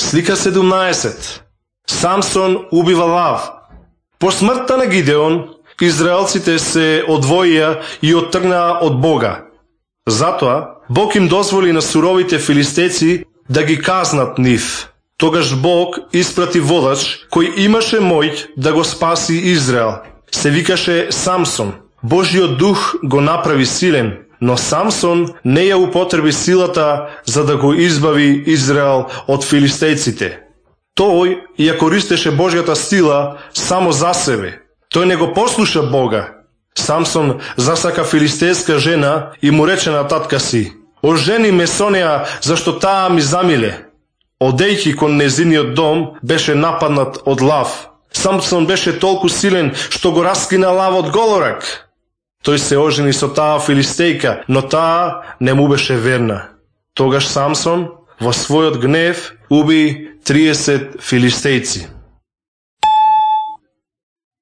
Слика 17. Самсон убива лав. По смртта на Гидеон, израелците се одвоија и оттргнаа од Бога. Затоа, Бог им дозволи на суровите филистејци да ги казнат нив. Тогаш Бог испрати водач кој имаше моќ да го спаси Израел. Се викаше Самсон. Божиот дух го направи силен, но Самсон не ја употреби силата за да го избави Израел од филистејците. Тој ја користеше Божјата сила само за себе. Тој не го послуша Бога. Самсон засака филистејска жена и му рече на татка си: "Ожени ме со неа, зашто таа ми замиле." Одејќи кон незиниот дом, беше нападнат од лав. Самсон беше толку силен што го раскина лавот голорак. Тој се ожени со таа филистејка, но таа не му беше верна. Тогаш Самсон во својот гнев уби 30 филистејци.